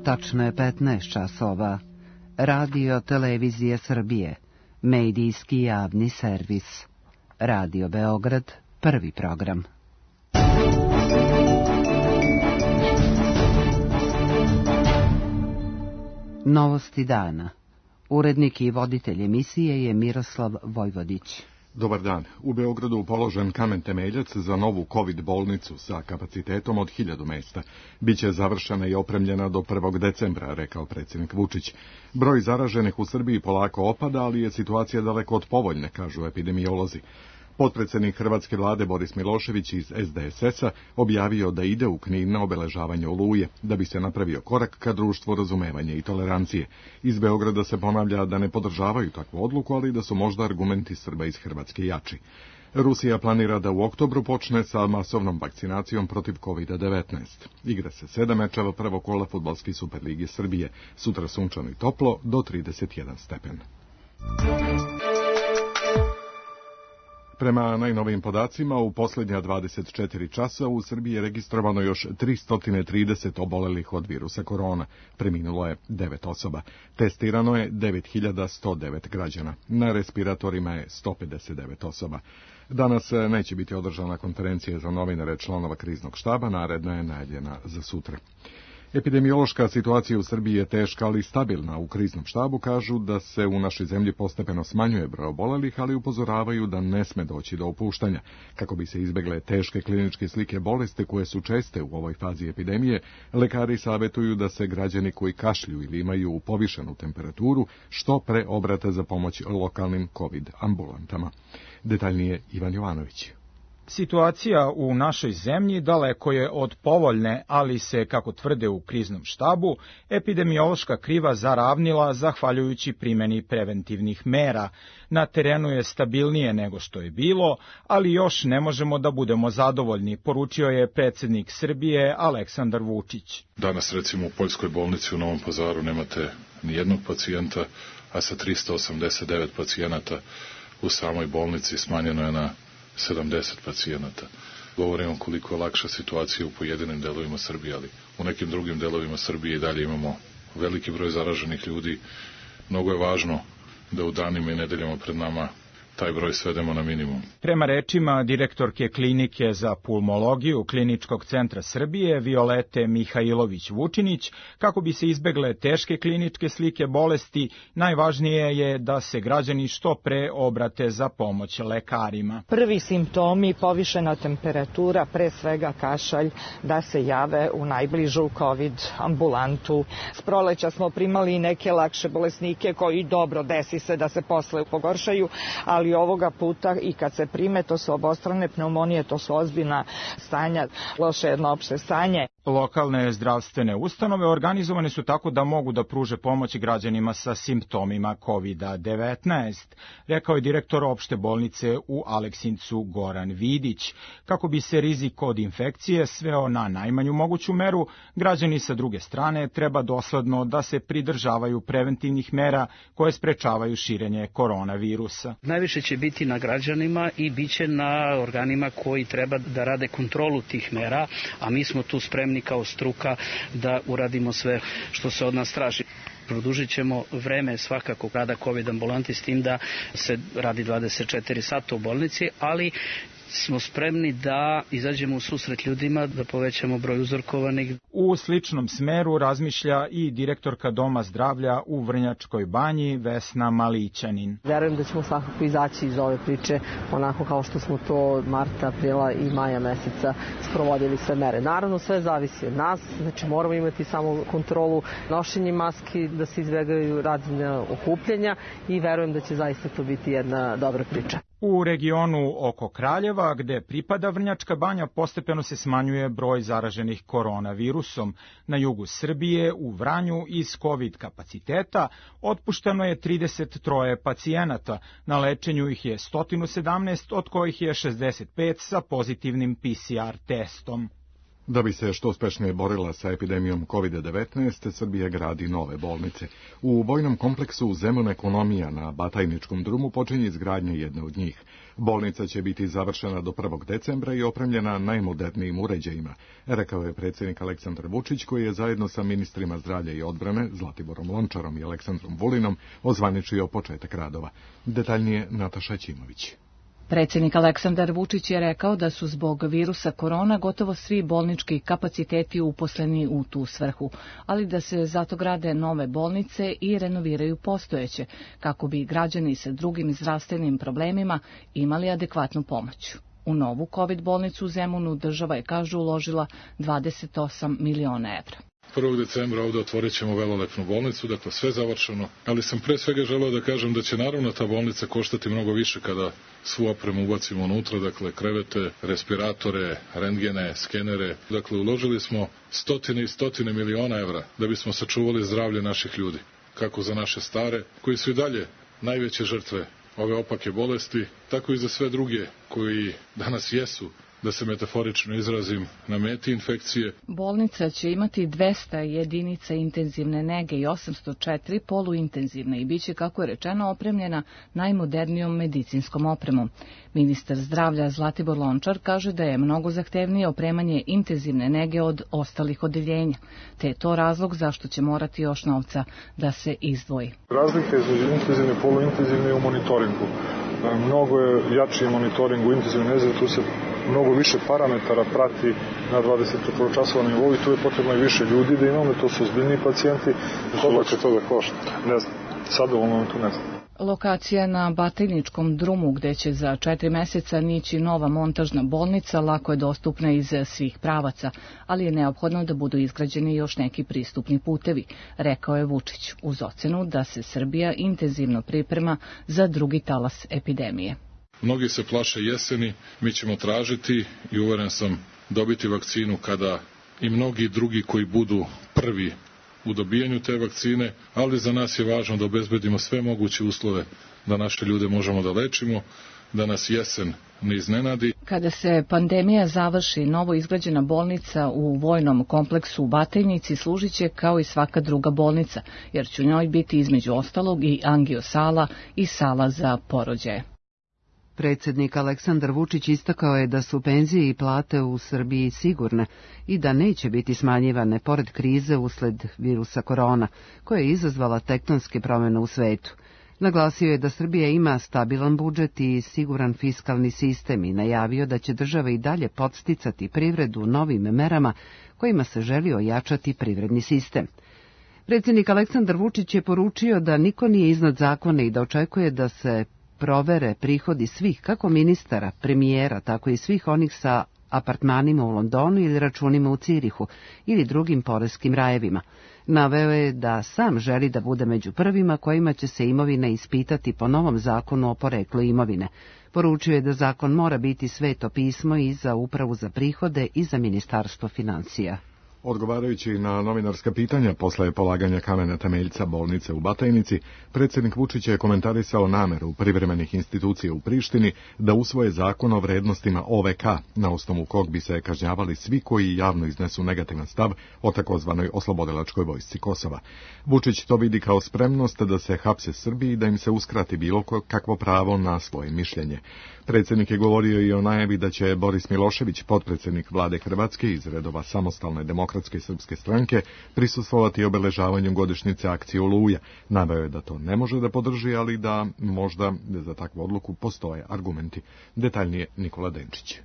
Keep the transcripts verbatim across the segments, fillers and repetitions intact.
Tačno je petnaest časova. Radio Televizije Srbije. Medijski javni servis. Radio Beograd, prvi program. Novosti dana. Urednik i voditelj emisije je Miroslav Vojvodić. Dobar dan. U Beogradu položen kamen temeljac za novu kovid bolnicu sa kapacitetom od hiljadu mesta. Biće završena i opremljena do prvog decembra, rekao predsjednik Vučić. Broj zaraženih u Srbiji polako opada, ali je situacija daleko od povoljne, kažu epidemiolozi. Potpredsjednik hrvatske vlade Boris Milošević iz es de es es-a objavio da ide u Knin na obeležavanje Oluje, da bi se napravio korak ka društvu razumevanja i tolerancije. Iz Beograda se ponavlja da ne podržavaju takvu odluku, ali da su možda argumenti Srba iz Hrvatske jači. Rusija planira da u oktobru počne sa masovnom vakcinacijom protiv kovid devetnaest. Igra se sedam mečeva prvog kola fudbalske Superlige Srbije. Sutra sunčano i toplo do trideset jedan stepen. Prema najnovijim podacima, u posljednja dvadeset četiri časa u Srbiji je registrovano još tristo trideset obolelih od virusa korona. Preminulo je devet osoba. Testirano je devet hiljada sto devet građana. Na respiratorima je sto pedeset devet osoba. Danas neće biti održana konferencija za novinare članova kriznog štaba, naredna je najavljena za sutra. Epidemiološka situacija u Srbiji je teška, ali stabilna. U kriznom štabu kažu da se u našoj zemlji postepeno smanjuje broj obolelih, ali upozoravaju da ne sme doći do opuštanja. Kako bi se izbegle teške kliničke slike bolesti koje su česte u ovoj fazi epidemije, lekari savjetuju da se građani koji kašlju ili imaju povišenu temperaturu što pre obrate za pomoć lokalnim kovid ambulantama. Detaljnije Ivan Jovanović. Situacija u našoj zemlji daleko je od povoljne, ali se, kako tvrde u kriznom štabu, epidemiološka kriva zaravnila zahvaljujući primjeni preventivnih mera. Na terenu je stabilnije nego što je bilo, ali još ne možemo da budemo zadovoljni, poručio je predsjednik Srbije Aleksandar Vučić. Danas recimo u Poljskoj bolnici u Novom Pazaru nemate ni jednog pacijenta, a sa tristo osamdeset devet pacijenata u samoj bolnici smanjeno je na sedamdeset pacijenata. Govorimo koliko je lakša situacija u pojedinim delovima Srbije, ali u nekim drugim delovima Srbije i dalje imamo veliki broj zaraženih ljudi. Mnogo je važno da u danima i nedeljama pred nama taj broj svedemo na minimum. Prema rečima direktorke klinike za pulmologiju Kliničkog centra Srbije Violete Mihajlović-Vučinić, kako bi se izbegle teške kliničke slike bolesti, najvažnije je da se građani što pre obrate za pomoć lekarima. Prvi simptomi, povišena temperatura, pre svega kašalj, da se jave u najbližu kovid ambulantu. S proleća smo primali i neke lakše bolesnike koji dobro desi se da se posle pogoršaju, ali ovoga puta i kad se prime, to su obostrane pneumonije, to su ozbiljna stanja, loše jedno opšte stanje. Lokalne zdravstvene ustanove organizovane su tako da mogu da pruže pomoć građanima sa simptomima kovid devetnaest, rekao je direktor opšte bolnice u Aleksincu Goran Vidić. Kako bi se rizik od infekcije sveo na najmanju moguću meru, građani sa druge strane treba dosledno da se pridržavaju preventivnih mera koje sprečavaju širenje koronavirusa. Najviše će biti na građanima i bit će na organima koji treba da rade kontrolu tih mera, a mi smo tu spremni kao struka da uradimo sve što se od nas traži. Produžit ćemo vreme svakako rada kovid ambulanti s tim da se radi dvadeset četiri sata u bolnici, ali smo spremni da izađemo u susret ljudima, da povećamo broj uzorkovanih. U sličnom smeru razmišlja i direktorka Doma zdravlja u Vrnjačkoj banji Vesna Malićanin. Verujem da ćemo svakako izaći iz ove priče onako kao što smo to marta, aprila i maja meseca sprovodili sve mere. Naravno sve zavisi od nas, znači moramo imati samo kontrolu nošenja maski, da se izbjegaju razna okupljanja i verujem da će zaista to biti jedna dobra priča. U regionu oko Kraljeva, gde pripada Vrnjačka banja, postepeno se smanjuje broj zaraženih koronavirusom. Na jugu Srbije, u Vranju, iz kovid kapaciteta, otpušteno je trideset tri pacijenata. Na lečenju ih je sto sedamnaest, od kojih je šezdeset pet sa pozitivnim P C R testom. Da bi se što uspešnije borila sa epidemijom kovid devetnaest, Srbija gradi nove bolnice. U vojnom kompleksu Zemun ekonomija na Batajničkom drumu počinje izgradnja jedne od njih. Bolnica će biti završena do prvog decembra i opremljena najmodernijim uređajima, rekao je predsjednik Aleksandar Vučić, koji je zajedno sa ministrima zdravlja i odbrane Zlatiborom Lončarom i Aleksandrom Vulinom ozvaničio početak radova. Detaljnije Nataša Ćimović. Predsjednik Aleksandar Vučić je rekao da su zbog virusa korona gotovo svi bolnički kapaciteti uposleni u tu svrhu, ali da se zato grade nove bolnice i renoviraju postojeće, kako bi građani sa drugim zdravstvenim problemima imali adekvatnu pomoć. U novu kovid bolnicu u Zemunu država je, kažu, uložila dvadeset osam miliona evra. prvog decembra ovde otvorit ćemo velelepnu bolnicu, dakle sve završeno, ali sam pre svega želeo da kažem da će naravno ta bolnica koštati mnogo više kada svu opremu ubacimo unutra, dakle krevete, respiratore, rentgene, skenere. Dakle, uložili smo stotine i stotine miliona evra da bismo sačuvali zdravlje naših ljudi, kako za naše stare, koji su i dalje najveće žrtve ove opake bolesti, tako i za sve druge koji danas jesu, da se metaforično izrazim, na meti infekcije. Bolnica će imati dvesta jedinica intenzivne nege i osamsto četiri poluintenzivne i biće, kako je rečeno, opremljena najmodernijom medicinskom opremom. Ministar zdravlja Zlatibor Lončar kaže da je mnogo zahtevnije opremanje intenzivne nege od ostalih odeljenja, te je to razlog zašto će morati još novca da se izdvoji. Razlika između intenzivne i poluintenzivne je u monitoringu. Mnogo je jači monitoring u intenzivnoj nezi, tu se mnogo više parametara prati na dvadesetčetvoročasovnom nivou i tu je potrebno i više ljudi da imamo, to su ozbiljni pacijenti. Koliko će to da košta? Ne znam. Sada u ovom momentu ne znam. Lokacija na Batajničkom drumu, gde će za četiri meseca nići nova montažna bolnica, lako je dostupna iz svih pravaca, ali je neophodno da budu izgrađeni još neki pristupni putevi, rekao je Vučić, uz ocenu da se Srbija intenzivno priprema za drugi talas epidemije. Mnogi se plaše jeseni, mi ćemo tražiti i uveren sam dobiti vakcinu kada i mnogi drugi koji budu prvi u dobijanju te vakcine, ali za nas je važno da obezbedimo sve moguće uslove da naše ljude možemo da lečimo, da nas jesen ne iznenadi. Kada se pandemija završi, novo izgrađena bolnica u vojnom kompleksu u Batajnici služit će kao i svaka druga bolnica, jer će u njoj biti između ostalog i angiosala i sala za porođaje. Predsjednik Aleksandar Vučić istakao je da su penzije i plate u Srbiji sigurne i da neće biti smanjivane pored krize usled virusa korona, koja je izazvala tektonske promjene u svetu. Naglasio je da Srbija ima stabilan budžet i siguran fiskalni sistem i najavio da će država i dalje podsticati privredu novim merama kojima se želi ojačati privredni sistem. Predsjednik Aleksandar Vučić je poručio da niko nije iznad zakona i da očekuje da se provere prihodi svih, kako ministara, premijera, tako i svih onih sa apartmanima u Londonu ili računima u Cirihu ili drugim poreskim rajevima. Naveo je da sam želi da bude među prvima kojima će se imovina ispitati po novom zakonu o poreklu imovine. Poručio je da zakon mora biti sveto pismo i za Upravu za prihode i za Ministarstvo financija. Odgovarajući na novinarska pitanja posle polaganja kamena temeljca bolnice u Batajnici, predsjednik Vučić je komentarisao nameru privremenih institucija u Prištini da usvoje zakon o vrednostima O V K, na osnovu kog bi se kažnjavali svi koji javno iznesu negativan stav o takozvanoj oslobodilačkoj vojsci Kosova. Vučić to vidi kao spremnost da se hapse Srbiji i da im se uskrati bilo kakvo pravo na svoje mišljenje. Predsjednik je govorio i o najavi da će Boris Milošević, potpredsjednik vlade Hrvatske iz redova Samostalne demokratske srpske stranke, prisustvovati obeležavanju godišnjice akcije Oluja. Naveo je da to ne može da podrži, ali da možda za takvu odluku postoje argumenti. Detaljnije Nikola Denčić.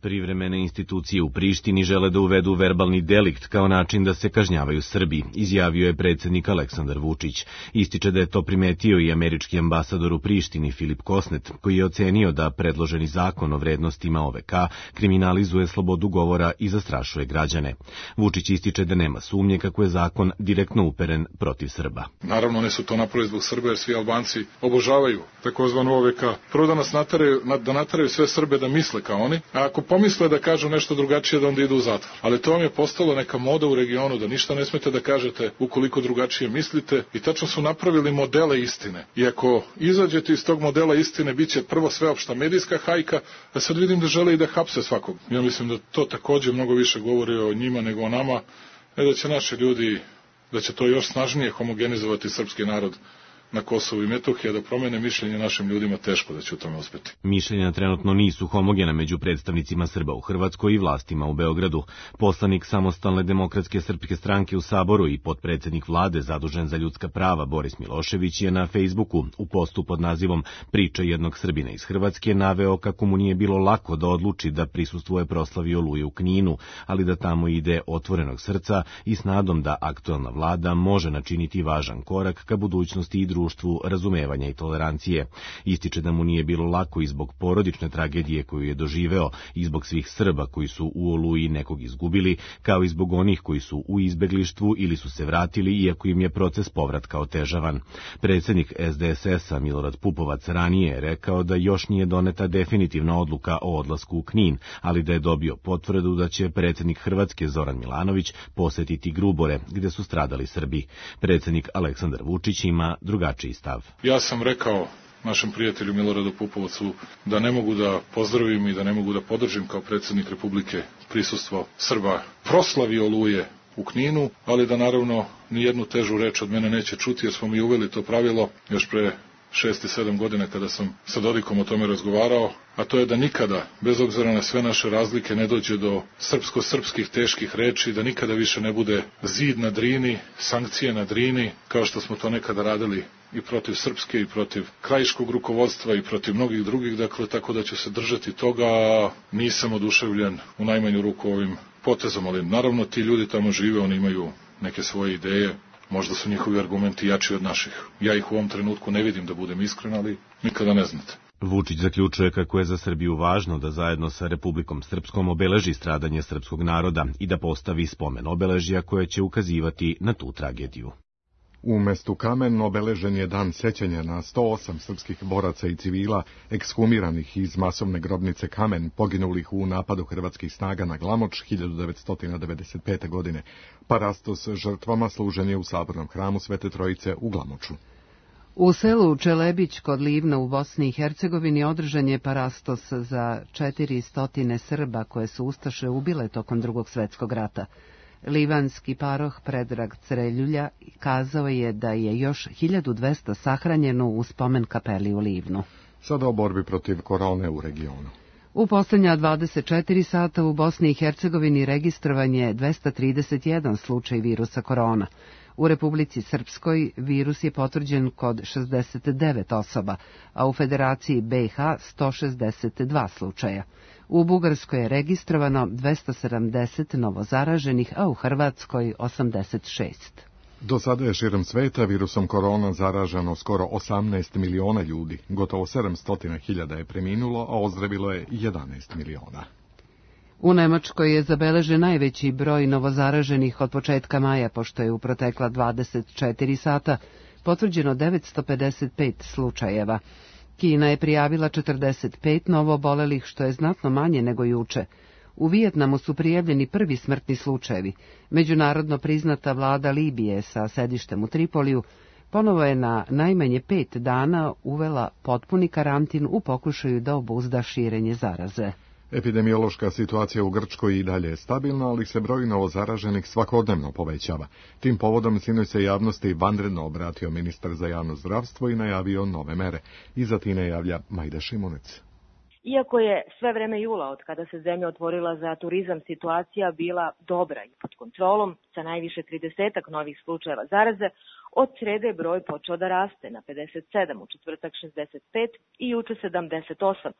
Privremene institucije u Prištini žele da uvedu verbalni delikt kao način da se kažnjavaju Srbi, izjavio je predsjednik Aleksandar Vučić. Ističe da je to primetio i američki ambasador u Prištini Filip Kosnet, koji je ocenio da predloženi zakon o vrednostima O V K kriminalizuje slobodu govora i zastrašuje građane. Vučić ističe da nema sumnje kako je zakon direktno uperen protiv Srba. Naravno, ne su to napravili zbog Srba, jer svi Albanci obožavaju takozvanu O V K. Prvo da nas nataraju, da nataraju sve Srbe da misle kao oni, a ako pomisle da kažu nešto drugačije da onda idu u zatvor. Ali to vam je postalo neka moda u regionu, da ništa ne smete da kažete ukoliko drugačije mislite i tačno su napravili modele istine. I ako izađete iz tog modela istine, bit će prvo sveopšta medijska hajka, a sad vidim da žele i da hapse svakog. Ja mislim da to takođe mnogo više govori o njima nego o nama, ne da će naši ljudi, da će to još snažnije homogenizovati srpski narod na Kosovu i Metohiji, da promene mišljenje našim ljudima, teško da će u tome uspeti. Mišljenja trenutno nisu homogena među predstavnicima Srba u Hrvatskoj i vlastima u Beogradu. Poslanik Samostalne demokratske srpske stranke u Saboru i potpredsednik vlade zadužen za ljudska prava Boris Milošević je na Fejsbuku u postu pod nazivom Priča jednog Srbina iz Hrvatske naveo kako mu nije bilo lako da odluči da prisustvuje proslavi Oluje u Kninu, ali da tamo ide otvorenog srca i s nadom da aktuelna vlada može načiniti važan korak ka budućnosti i društvu razumevanja i tolerancije. Ističe da mu nije bilo lako i zbog porodične tragedije koju je doživeo i zbog svih Srba koji su u Oluji nekog izgubili, kao i zbog onih koji su u izbeglištvu ili su se vratili iako im je proces povratka otežavan. Predsjednik S D S S-a Milorad Pupovac ranije je rekao da još nije doneta definitivna odluka o odlasku u Knin, ali da je dobio potvrdu da će predsjednik Hrvatske Zoran Milanović posetiti Grubore, gde su stradali Srbi. Predsjednik Aleksandar Vučić ima drugačiji stav. Ja sam rekao našem prijatelju Miloradu Pupovcu da ne mogu da pozdravim i da ne mogu da podržim kao predsjednik Republike prisustvo Srba proslavi Oluje u Kninu, ali da naravno nijednu težu reč od mene neće čuti jer smo mi uveli to pravilo još pre šest i sedam godina kada sam sa Dodikom o tome razgovarao, a to je da nikada, bez obzira na sve naše razlike, ne dođe do srpsko-srpskih teških reči, da nikada više ne bude zid na Drini, sankcije na Drini, kao što smo to nekada radili i protiv Srpske i protiv krajiškog rukovodstva i protiv mnogih drugih, dakle, tako da ću se držati toga, nisam oduševljen u najmanju ruku ovim potezom, ali naravno ti ljudi tamo žive, oni imaju neke svoje ideje, možda su njihovi argumenti jači od naših. Ja ih u ovom trenutku ne vidim, da budem iskren, ali nikada ne znate. Vučić zaključuje kako je za Srbiju važno da zajedno sa Republikom Srpskom obeleži stradanje srpskog naroda i da postavi spomen obeležja koje će ukazivati na tu tragediju. U mestu Kamen obeležen je dan sećanja na sto osam srpskih boraca i civila ekshumiranih iz masovne grobnice Kamen, poginulih u napadu hrvatskih snaga na Glamoč hiljadu devetsto devedeset pete. godine. Parastos žrtvama služen je u Sabornom hramu Svete Trojice u Glamoču. U selu Čelebić kod Livna u Bosni i Hercegovini održan je parastos za četiristo Srba koje su ustaše ubile tokom Drugog svjetskog rata. Livanski paroh Predrag Creljulja kazao je da je još hiljadu dvesta sahranjeno u spomen kapeli u Livnu. Sada o borbi protiv korone u regionu. U posljednja dvadeset četiri sata u Bosni i Hercegovini registrovan je dvesta trideset jedan slučaj virusa korona. U Republici Srpskoj virus je potvrđen kod šezdeset devet osoba, a u Federaciji B i H sto šezdeset dva slučaja. U Bugarskoj je registrovano dvesta sedamdeset novozaraženih, a u Hrvatskoj osamdeset šest. Do sada je širom sveta virusom korona zaraženo skoro osamnaest miliona ljudi, gotovo sedamsto hiljada je preminulo, a ozdravilo je jedanaest miliona. U Nemačkoj je zabeležen najveći broj novozaraženih od početka maja, pošto je u protekla dvadeset četiri sata potvrđeno devetsto pedeset pet slučajeva. Kina je prijavila četrdeset pet novoobolelih, što je znatno manje nego juče. U Vijetnamu su prijavljeni prvi smrtni slučajevi. Međunarodno priznata vlada Libije sa sedištem u Tripoliju ponovo je na najmanje pet dana uvela potpuni karantin u pokušaju da obuzda širenje zaraze. Epidemiološka situacija u Grčkoj i dalje je stabilna, ali se broj novozaraženih svakodnevno povećava. Tim povodom sinoć se javnosti vanredno obratio ministar za javno zdravstvo i najavio nove mere. Iza Tine javlja Majda Šimunec. Iako je sve vreme jula od kada se zemlja otvorila za turizam situacija bila dobra i pod kontrolom, sa najviše tridesetak novih slučajeva zaraze, od srede broj počeo da raste na pedeset sedam, u četvrtak šezdeset pet i juče sedamdeset osam,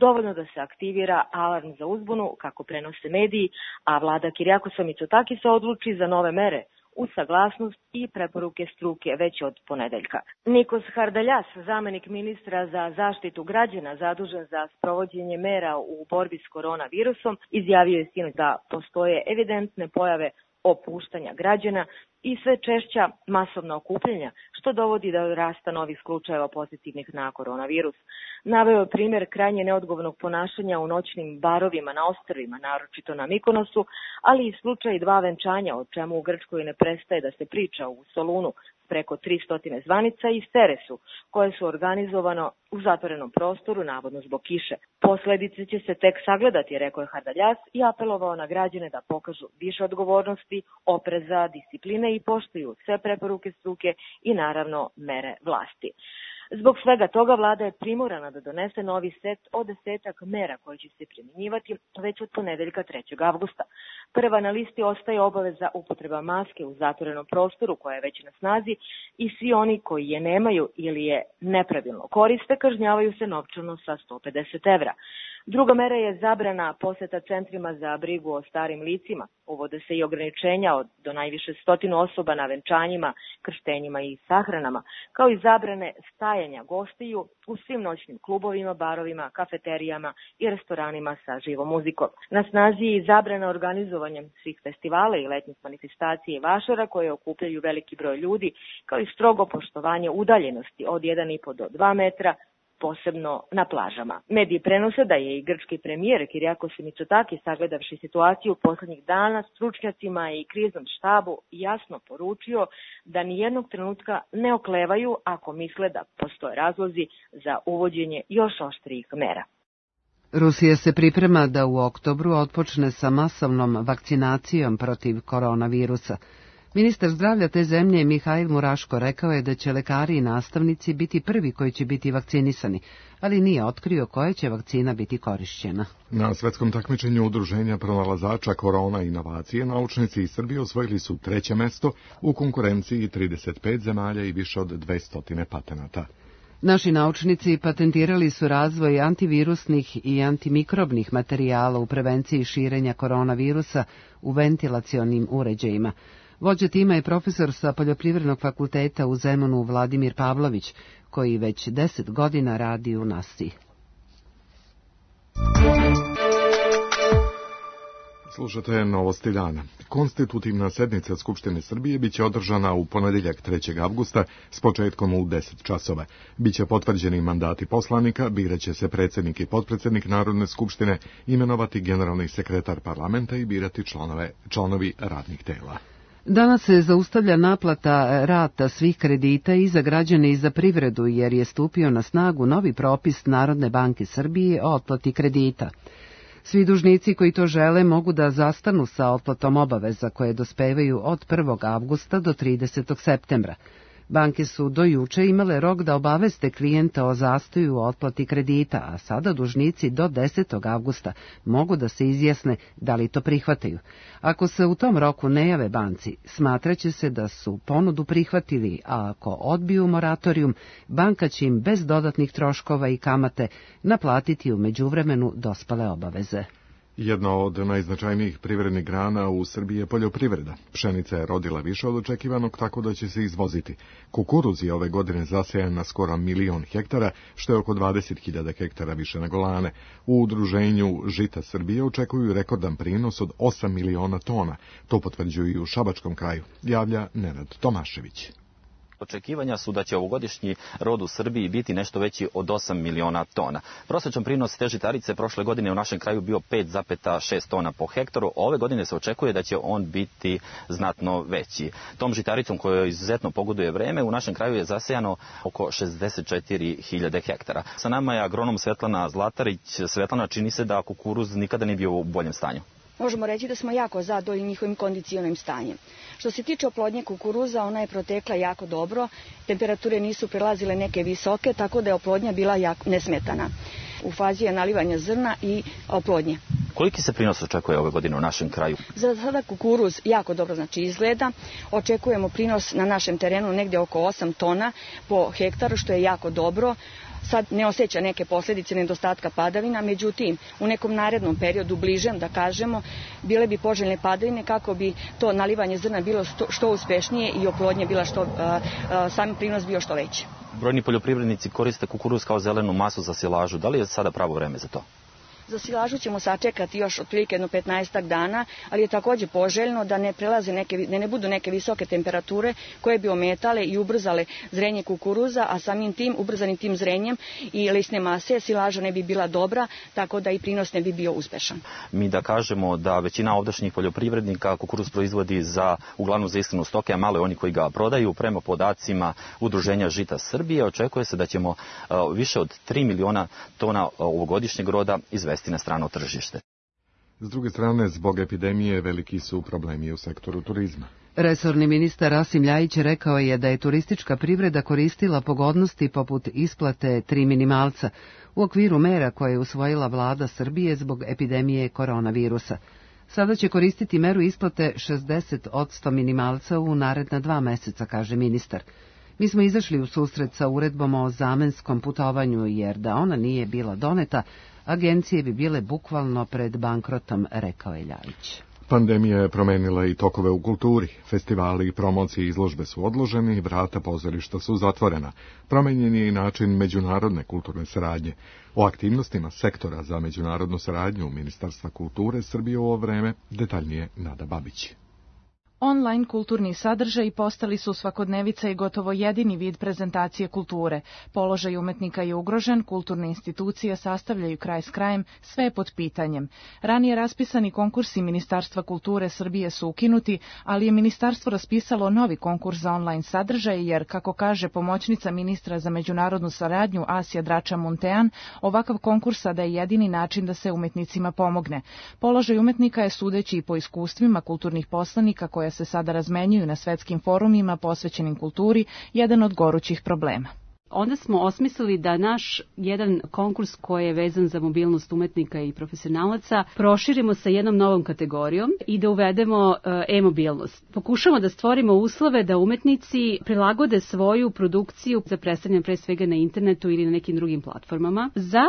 dovoljno da se aktivira alarm za uzbunu, kako prenose mediji, a vlada Kirijakosa Mitsotakisa odluči za nove mere, uz saglasnost i preporuke struke već od ponedeljka. Nikos Hardaljas, zamenik ministra za zaštitu građana zadužen za sprovođenje mera u borbi s koronavirusom, izjavio je sinoć da postoje evidentne pojave opuštanja građana i sve češća masovna okupljanja, što dovodi do rasta novih slučajeva pozitivnih na koronavirus. Naveo je primjer krajnje neodgovornog ponašanja u noćnim barovima na ostrvima, naročito na Mikonosu, ali i slučaj dva venčanja, o čemu u Grčkoj ne prestaje da se priča u Solunu, preko tristo zvanica i Steresu, koje su organizovano u zatvorenom prostoru, navodno zbog kiše. Posledice će se tek sagledati, rekao je Hardaljas i apelovao na građane da pokažu više odgovornosti, opreza, discipline i poštuju sve preporuke struke i naravno mere vlasti. Zbog svega toga vlada je primorana da donese novi set od desetak mera koje će se primjenjivati već od ponedeljka trećeg avgusta. Prva na listi ostaje obaveza upotreba maske u zatvorenom prostoru koja je već na snazi i svi oni koji je nemaju ili je nepravilno koriste kažnjavaju se novčano sa sto pedeset evra. Druga mera je zabrana poseta centrima za brigu o starim licima. Uvode se i ograničenja od do najviše stotinu osoba na venčanjima, krštenjima i sahranama, kao i zabrane stajanja gostiju u svim noćnim klubovima, barovima, kafeterijama i restoranima sa živom muzikom. Na snazi je i zabrana organizovanjem svih festivala i letnjih manifestacija i vašara koje okupljaju veliki broj ljudi, kao i strogo poštovanje udaljenosti od jedan i po do dva metra, posebno na plažama. Mediji prenose da je i grčki premijer Kyriakos Mitsotakis, sagledavši situaciju poslednjih dana, stručnjacima i kriznom štabu jasno poručio da nijednog trenutka ne oklevaju ako misle da postoje razlozi za uvođenje još oštrijih mera. Rusija se priprema da u oktobru otpočne sa masovnom vakcinacijom protiv koronavirusa. Ministar zdravlja te zemlje Mihail Muraško rekao je da će lekari i nastavnici biti prvi koji će biti vakcinisani, ali nije otkrio koja će vakcina biti korišćena. Na svetskom takmičenju udruženja pronalazača korona inovacije naučnici iz Srbije osvojili su treće mesto u konkurenciji trideset pet zemalja i više od dvesta patenata. Naši naučnici patentirali su razvoj antivirusnih i antimikrobnih materijala u prevenciji širenja koronavirusa u ventilacionim uređajima. Vođa tima je profesor sa Poljoprivrednog fakulteta u Zemunu Vladimir Pavlović, koji već deset godina radi u nasti. Slušate Novosti dana. Konstitutivna sednica Skupštine Srbije biće održana u ponedeljak trećeg avgusta s početkom u deset časova. Biće potvrđeni mandati poslanika, biraće se predsjednik i potpredsjednik Narodne skupštine, imenovati generalni sekretar parlamenta i birati članove, članovi radnih tela. Danas se zaustavlja naplata rata svih kredita i za građane i za privredu, jer je stupio na snagu novi propis Narodne banke Srbije o otplati kredita. Svi dužnici koji to žele mogu da zastanu sa otplatom obaveza koje dospevaju od prvog avgusta do tridesetog septembra. Banke su do juče imale rok da obaveste klijenta o zastoju u otplati kredita, a sada dužnici do desetog avgusta mogu da se izjasne da li to prihvataju. Ako se u tom roku ne jave banci, smatraće se da su ponudu prihvatili, a ako odbiju moratorijum, banka će im bez dodatnih troškova i kamate naplatiti u međuvremenu dospale obaveze. Jedna od najznačajnijih privrednih grana u Srbiji je poljoprivreda. Pšenica je rodila više od očekivanog, tako da će se izvoziti. Kukuruz je ove godine zasejan na skoro milion hektara, što je oko dvadeset hiljada hektara više nego lane. U udruženju Žita Srbije očekuju rekordan prinos od osam miliona tona. To potvrđuju i u Šabačkom kraju, javlja Nenad Tomašević. Očekivanja su da će ovogodišnji rod u Srbiji biti nešto veći od osam miliona tona. Prosječan prinos te žitarice prošle godine u našem kraju bio pet zarez šest tona po hektaru. Ove godine se očekuje da će on biti znatno veći. Tom žitaricom kojoj izuzetno pogoduje vreme u našem kraju je zasejano oko šezdeset četiri hiljade hektara. Sa nama je agronom Svetlana Zlatarić. Svetlana, čini se da kukuruz nikada nije bio u boljem stanju. Možemo reći da smo jako zadovoljni njihovim kondicionim stanjem. Što se tiče oplodnje kukuruza, ona je protekla jako dobro, temperature nisu prelazile neke visoke, tako da je oplodnja bila jako nesmetana. U fazi je nalivanja zrna i oplodnje. Koliki se prinos očekuje ove godine u našem kraju? Za sada kukuruz jako dobro znači izgleda. Očekujemo prinos na našem terenu negdje oko osam tona po hektaru, što je jako dobro. Sad ne osjeća neke posljedice nedostatka padavina, međutim u nekom narednom periodu, bližem da kažemo, bile bi poželjne padavine kako bi to nalivanje zrna bilo što, što uspešnije i oplodnje bila što, a, a, sami prinos bio što veći. Brojni poljoprivrednici koriste kukuruz kao zelenu masu za silažu. Da li je sada pravo vreme za to? Za silažu ćemo sačekati još otprilike jedno petnaestak dana, ali je takođe poželjno da ne prelaze neke, da ne budu neke visoke temperature koje bi ometale i ubrzale zrenje kukuruza, a samim tim, ubrzanim tim zrenjem i lisne mase, silaža ne bi bila dobra, tako da i prinos ne bi bio uspešan. Mi da kažemo da većina ovdašnjih poljoprivrednika kukuruz proizvodi za uglavnom za ishranu stoke, a malo je oni koji ga prodaju. Prema podacima Udruženja žita Srbije očekuje se da ćemo uh, više od tri miliona tona ovogodišnjeg roda izvesti na strano tržište. S druge strane, zbog epidemije veliki su problemi u sektoru turizma. Resorni ministar Rasim Ljajić rekao je da je turistička privreda koristila pogodnosti poput isplate tri minimalca u okviru mera koje je usvojila vlada Srbije zbog epidemije koronavirusa. Sada će koristiti meru isplate šezdeset posto minimalca u naredna dva meseca, kaže ministar. Mi smo izašli u susret sa uredbom o zamenskom putovanju, jer da ona nije bila doneta, agencije bi bile bukvalno pred bankrotom, rekao je Ljajić. Pandemija je promenila i tokove u kulturi. Festivali i promocije izložbe su odloženi, vrata pozorišta su zatvorena. Promenjen je i način međunarodne kulturne saradnje. O aktivnostima sektora za međunarodnu saradnju Ministarstva kulture Srbije u ovo vreme detaljnije Nada Babić. Online kulturni sadržaji postali su svakodnevica i gotovo jedini vid prezentacije kulture. Položaj umetnika je ugrožen, kulturne institucije sastavljaju kraj s krajem, sve je pod pitanjem. Ranije raspisani konkursi Ministarstva kulture Srbije su ukinuti, ali je ministarstvo raspisalo novi konkurs za online sadržaje, jer, kako kaže pomoćnica ministra za međunarodnu saradnju Asja Drača-Muntean, ovakav konkurs sada je jedini način da se umetnicima pomogne. Položaj umetnika je, sudeći i po iskustvima kulturnih poslanika koja se sada razmenjuju na svetskim forumima posvećenim kulturi, jedan od gorućih problema. Onda smo osmislili da naš jedan konkurs koji je vezan za mobilnost umetnika i profesionalaca proširimo sa jednom novom kategorijom i da uvedemo e-mobilnost. Pokušamo da stvorimo uslove da umetnici prilagode svoju produkciju za predstavljanje pre svega na internetu ili na nekim drugim platformama. Za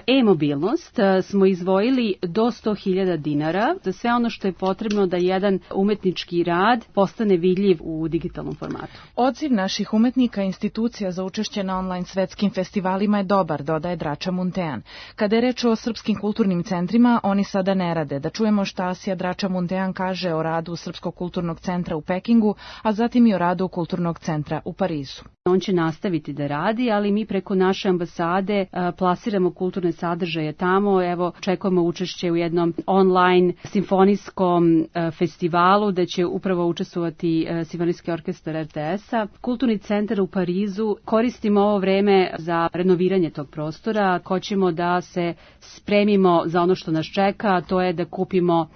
e-mobilnost smo izdvojili do sto hiljada dinara za sve ono što je potrebno da jedan umetnički rad postane vidljiv u digitalnom formatu. Odziv naših umetnika i institucija za učešće na online svetskim festivalima je dobar, dodaje Drača-Muntean. Kada je reč o srpskim kulturnim centrima, oni sada ne rade. Da čujemo šta Asja Drača-Muntean kaže o radu Srpskog kulturnog centra u Pekingu, a zatim i o radu Kulturnog centra u Parizu. On će nastaviti da radi, ali mi preko naše ambasade plasiramo kulturne sadržaje tamo. Evo, čekamo učešće u jednom online simfonijskom festivalu, da će upravo učestvovati Simfonijski orkestar er te es-a. Kulturni centar u Parizu koristimo ovo vreme za renoviranje tog prostora. Hoćemo da se spremimo za ono što nas čeka, a to je da kupimo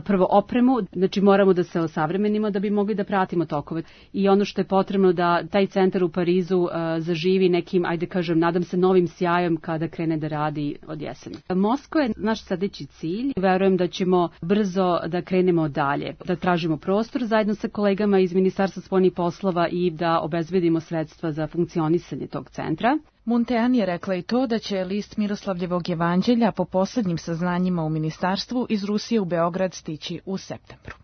prvo opremu, znači moramo da se osavremenimo da bi mogli da pratimo tokove. I ono što je potrebno da taj centar u Parizu uh, zaživi nekim, ajde kažem, nadam se novim sjajom kada krene da radi od jeseni. Moskva je naš sledeći cilj. Verujem da ćemo brzo da krenemo dalje, da tražimo prostor zajedno sa kolegama iz Ministarstva spoljnih poslova i da obezbedimo sredstva za funkcionisanje tog centra. Muntean je rekla i to da će list Miroslavljevog evanđelja po poslednjim saznanjima u ministarstvu iz Rusije u Beograd stići u septembru.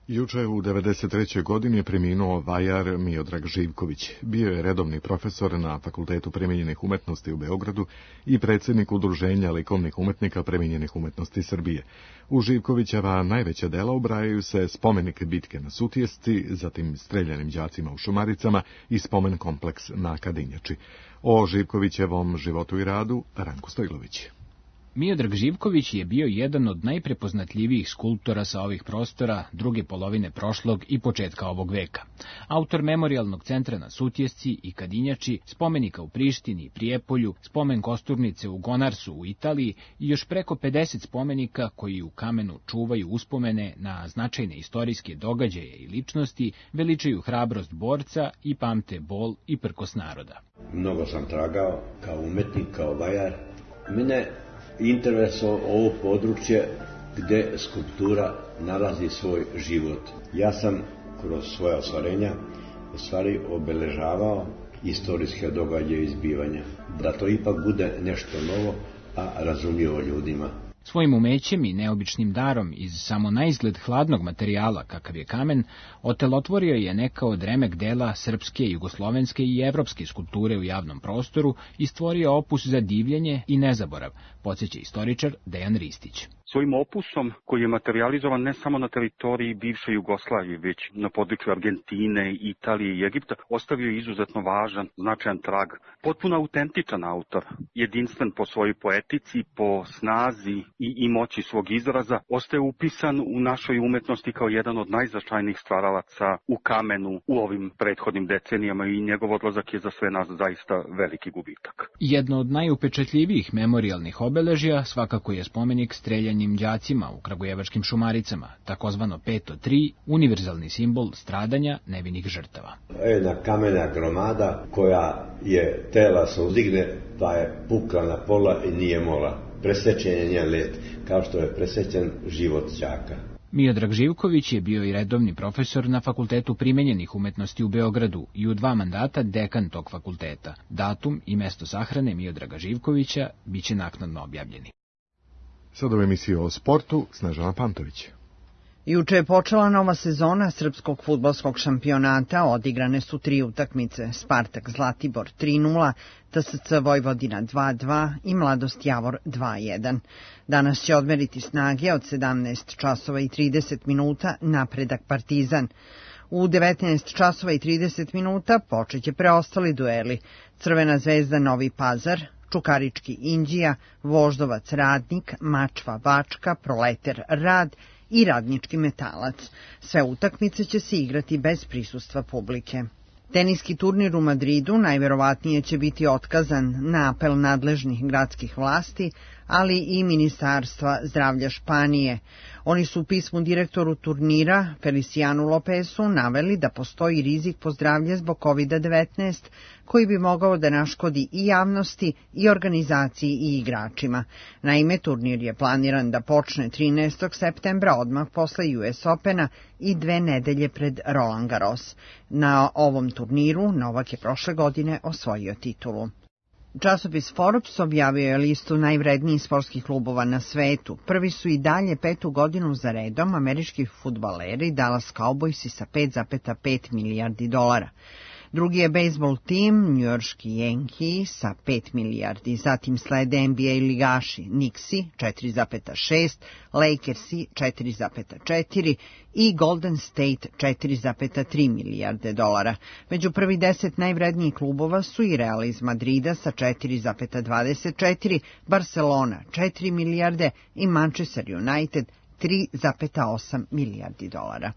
Juče u devedeset trećoj godini je preminuo vajar Miodrag Živković. Bio je redovni profesor na Fakultetu primenjenih umetnosti u Beogradu i predsjednik Udruženja likovnih umetnika primenjenih umetnosti Srbije. U Živkovićeva najveća dela ubrajaju se spomenik bitke na Sutjesci, zatim streljanim đacima u Šumaricama i spomen kompleks na Kadinjači. O Živkovićevom životu i radu Ranko Stojlović. Miodrag Živković je bio jedan od najprepoznatljivijih skulptora sa ovih prostora druge polovine prošlog i početka ovog veka. Autor memorialnog centra na Sutjesci i Kadinjači, spomenika u Prištini i Prijepolju, spomen kosturnice u Gonarsu u Italiji i još preko pedeset spomenika koji u kamenu čuvaju uspomene na značajne istorijske događaje i ličnosti, veličaju hrabrost borca i pamte bol i prkos naroda. Mnogo sam tragao kao umetnik, kao vajar. Mene interesovalo ovo područje gde skulptura nalazi svoj život. Ja sam kroz svoja ostvarenja u stvari obeležavao istorijske događaje i zbivanja. Da to ipak bude nešto novo, a razumljivo ljudima. Svojim umećem i neobičnim darom iz samo naizgled hladnog materijala, kakav je kamen, otelotvorio je neka od remek dela srpske, jugoslovenske i evropske skulpture u javnom prostoru i stvorio opus za divljenje i nezaborav, podsjeća istoričar Dejan Ristić. Svojim opusom, koji je materializovan ne samo na teritoriji bivše Jugoslavije, već na području Argentine, Italije i Egipta, ostavio je izuzetno važan, značajan trag. Potpuno autentičan autor, jedinstven po svojoj poetici, po snazi i, i moći svog izraza, ostaje upisan u našoj umetnosti kao jedan od najznačajnijih stvaralaca u kamenu u ovim prethodnim decenijama i njegov odlazak je za sve nas zaista veliki gubitak. Jedno od najupečatljivijih memorijalnih obeležja svakako je spomenik streljanjem đacima u kragujevačkim Šumaricama, takozvano peto tri, univerzalni simbol stradanja nevinih žrtava. Jedna kamena gromada koja je tela se uzdigne, pa je pukla na pola i nije mola. Presečen je njen let, kao što je presečen život đaka. Miodrag Živković je bio i redovni profesor na Fakultetu primenjenih umetnosti u Beogradu i u dva mandata dekan tog fakulteta. Datum i mesto sahrane Miodraga Živkovića biće naknadno objavljeni. Sad u emisiju o sportu Snežana Pantović. Juče je počela nova sezona srpskog fudbalskog šampionata, odigrane su tri utakmice, Spartak Zlatibor tri nula, T S C Vojvodina dva dva i Mladost Javor dva jedan. Danas će odmeriti snage od sedamnaest časova i trideset minuta Napredak Partizan. U devetnaest časova i trideset minuta počeće preostali dueli, Crvena zvezda Novi Pazar, Čukarički Inđija, Voždovac Radnik, Mačva Bačka, Proleter Rad i Radnički Metalac. Sve utakmice će se igrati bez prisustva publike. Teniski turnir u Madridu najverovatnije će biti otkazan na apel nadležnih gradskih vlasti, ali i Ministarstva zdravlja Španije. Oni su u pismu direktoru turnira, Felicianu Lopesu, naveli da postoji rizik po zdravlje zbog kovid devetnaest, koji bi mogao da naškodi i javnosti, i organizaciji, i igračima. Naime, turnir je planiran da počne trinaestog septembra, odmah posle U S Opena i dve nedelje pred Roland Garros. Na ovom turniru Novak je prošle godine osvojio titulu. Časopis Forbes objavio je listu najvrednijih sportskih klubova na svetu. Prvi su i dalje petu godinu za redom američki fudbaleri Dallas Cowboysi sa pet zarez pet milijardi dolara. Drugi je bejsbol tim, njujorški Yankees sa pet milijardi, zatim slede N B A ligaši Knicksi četiri zarez šest, Lakersi četiri zarez četiri i Golden State četiri zarez tri milijarde dolara. Među prvi deset najvrednijih klubova su i Real iz Madrida sa četiri zarez dvadeset četiri, Barcelona četiri milijarde i Manchester United tri zarez osam milijardi dolara.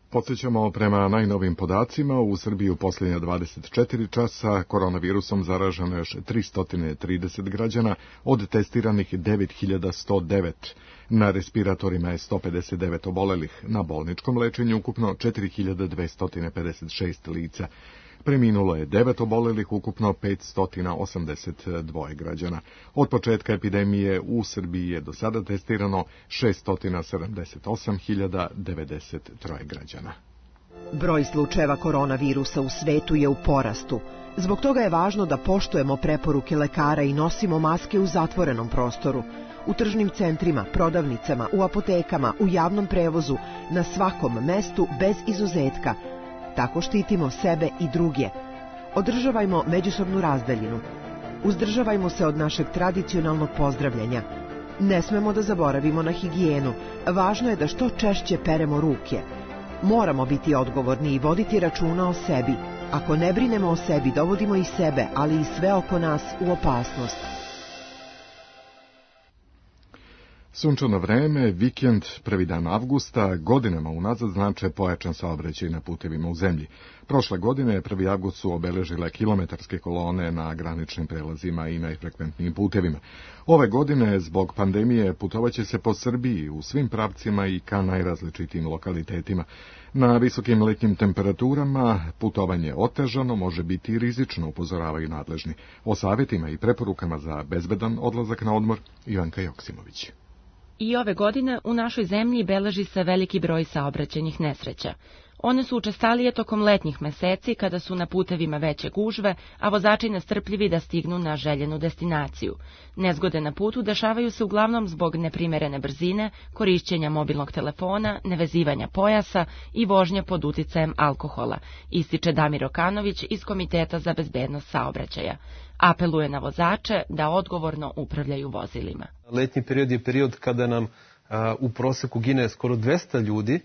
Podsjećamo, prema najnovim podacima, u Srbiji u posljednja dvadeset četiri časa koronavirusom zaraženo još tristo trideset građana, od testiranih devet hiljada sto devet. Na respiratorima je sto pedeset devet obolelih, na bolničkom lečenju ukupno četiri hiljade dvesta pedeset šest lica. Preminulo je devet obolelih, ukupno petsto osamdeset dva građana. Od početka epidemije u Srbiji je do sada testirano šesto sedamdeset osam hiljada devedeset tri građana. Broj slučajeva koronavirusa u svetu je u porastu. Zbog toga je važno da poštujemo preporuke lekara i nosimo maske u zatvorenom prostoru. U tržnim centrima, prodavnicama, u apotekama, u javnom prevozu, na svakom mestu bez izuzetka. Tako štitimo sebe i druge. Održavajmo međusobnu razdaljinu. Uzdržavajmo se od našeg tradicionalnog pozdravljanja. Ne smemo da zaboravimo na higijenu. Važno je da što češće peremo ruke. Moramo biti odgovorni i voditi računa o sebi. Ako ne brinemo o sebi, dovodimo i sebe, ali i sve oko nas u opasnost. Sunčano vreme, vikend, prvi dan avgusta, godinama unazad znače pojačan saobraćaj na putevima u zemlji. Prošle godine, prvi avgust su obeležile kilometarske kolone na graničnim prelazima i najfrekventnijim putevima. Ove godine, zbog pandemije, putovaće se po Srbiji u svim pravcima i ka najrazličitijim lokalitetima. Na visokim letnjim temperaturama putovanje otežano, može biti i rizično, upozoravaju nadležni. O savjetima i preporukama za bezbedan odlazak na odmor, Ivanka Joksimović. I ove godine u našoj zemlji beleži se veliki broj saobraćajnih nesreća. One su učestalije tokom letnjih meseci kada su na putevima veće gužve, a vozači nestrpljivi da stignu na željenu destinaciju. Nezgode na putu dešavaju se uglavnom zbog neprimerene brzine, korišćenja mobilnog telefona, nevezivanja pojasa i vožnje pod uticajem alkohola, ističe Damir Okanović iz Komiteta za bezbednost saobraćaja. Apeluje na vozače da odgovorno upravljaju vozilima. Letnji period je period kada nam a, u proseku gine skoro dvesta ljudi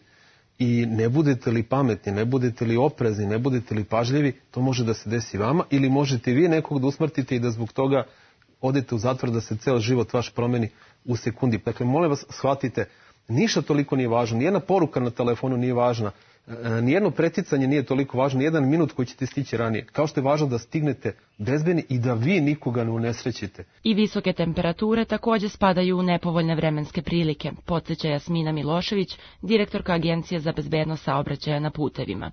i ne budete li pametni, ne budete li oprezni, ne budete li pažljivi, to može da se desi vama ili možete vi nekog da usmrtite i da zbog toga odete u zatvor, da se ceo život vaš promeni u sekundi. Dakle, molim vas, shvatite, ništa toliko nije važno, nijedna poruka na telefonu nije važna, nijedno preticanje nije toliko važno, nijedan minut koji ćete stići ranije. Kao što je važno da stignete bezbedni i da vi nikoga ne unesrećite. I visoke temperature takođe spadaju u nepovoljne vremenske prilike, podsjeća Jasmina Milošević, direktorka Agencije za bezbednost saobraćaja na putevima.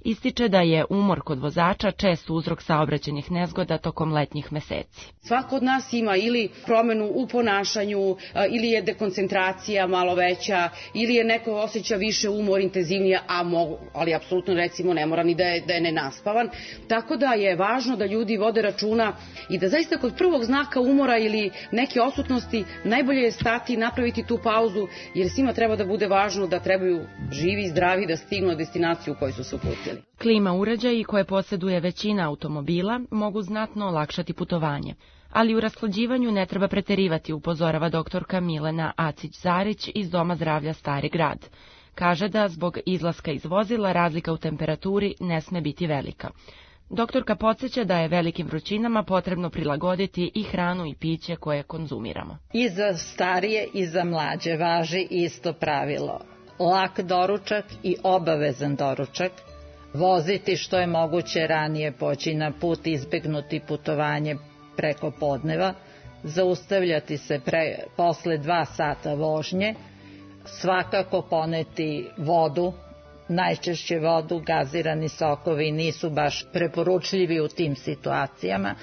Ističe da je umor kod vozača čest uzrok saobraćajnih nezgoda tokom letnjih meseci. Svako od nas ima ili promenu u ponašanju, ili je dekoncentracija malo veća, ili je neko osjeća više umor, intenzivnije, a mogu, ali apsolutno recimo ne mora ni da je, da je nenaspavan. Tako da je važno da ljudi vode računa i da zaista kod prvog znaka umora ili neke odsutnosti najbolje je stati i napraviti tu pauzu, jer svima treba da bude važno da trebaju živi i zdravi da stignu na destinaciju u kojoj su se uputili. Klima uređaji koje posjeduje većina automobila mogu znatno olakšati putovanje, ali u rashlađivanju ne treba preterivati, upozorava doktorka Milena Acić-Zarić iz Doma zdravlja Stari grad. Kaže da zbog izlaska iz vozila razlika u temperaturi ne sme biti velika. Doktorka podsjeća da je velikim vrućinama potrebno prilagoditi i hranu i piće koje konzumiramo. I za starije i za mlađe važi isto pravilo. Lak doručak i obavezan doručak, voziti što je moguće ranije, poći na put, izbegnuti putovanje preko podneva, zaustavljati se pre, posle dva sata vožnje, svakako poneti vodu, najčešće vodu, gazirani sokovi nisu baš preporučljivi u tim situacijama,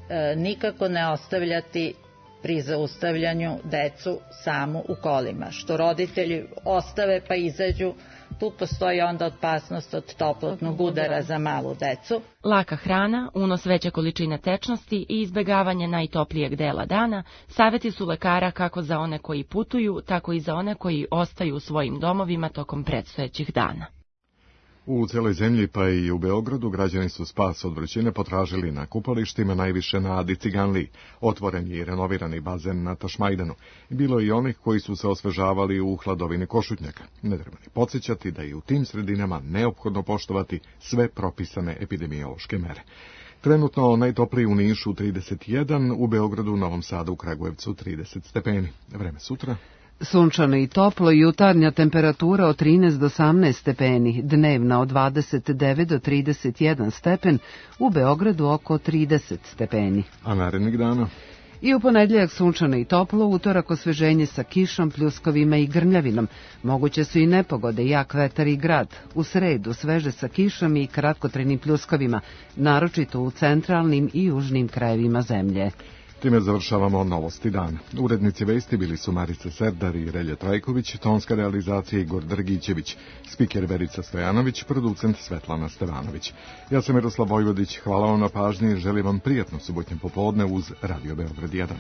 e, nikako ne ostavljati pri zaustavljanju decu samu u kolima, što roditelji ostave pa izađu, tu postoji onda opasnost od toplotnog udara za malu decu. Laka hrana, unos veće količine tečnosti i izbegavanje najtoplijeg dela dana savjeti su lekara kako za one koji putuju, tako i za one koji ostaju u svojim domovima tokom predstojećih dana. U cijeloj zemlji, pa i u Beogradu, građani su spas od vrućine potražili na kupalištima, najviše na Adi Ciganliji. Otvoren je i renovirani bazen na Tašmajdanu. Bilo je i onih koji su se osvežavali u hladovini Košutnjaka. Ne treba ni podsjećati da je u tim sredinama neophodno poštovati sve propisane epidemiološke mere. Trenutno najtopliji u Nišu trideset jedan, u Beogradu, Novom Sadu, u Kragujevcu trideset stepeni. Vreme sutra. Sunčano i toplo, jutarnja temperatura od trinaest do osamnaest stepeni, dnevna od dvadeset devet do trideset jedan stepen, u Beogradu oko trideset stepeni. A narednih dana? I u ponedjeljak sunčano i toplo, utorak osveženje sa kišom, pljuskovima i grmljavinom. Moguće su i nepogode, jak vetar i grad. U sredu sveže sa kišom i kratkotrenim pljuskovima, naročito u centralnim i južnim krajevima zemlje. Time završavamo novosti dana. Urednici vesti bili su Marica Serdar i Relja Trajković, tonska realizacija Igor Drgićević, spiker Verica Stojanović, producent Svetlana Stevanović. Ja sam Miroslav Vojvodić, hvala vam na pažnji i želim vam prijatno subotnje popodne uz Radio Beograd jedan.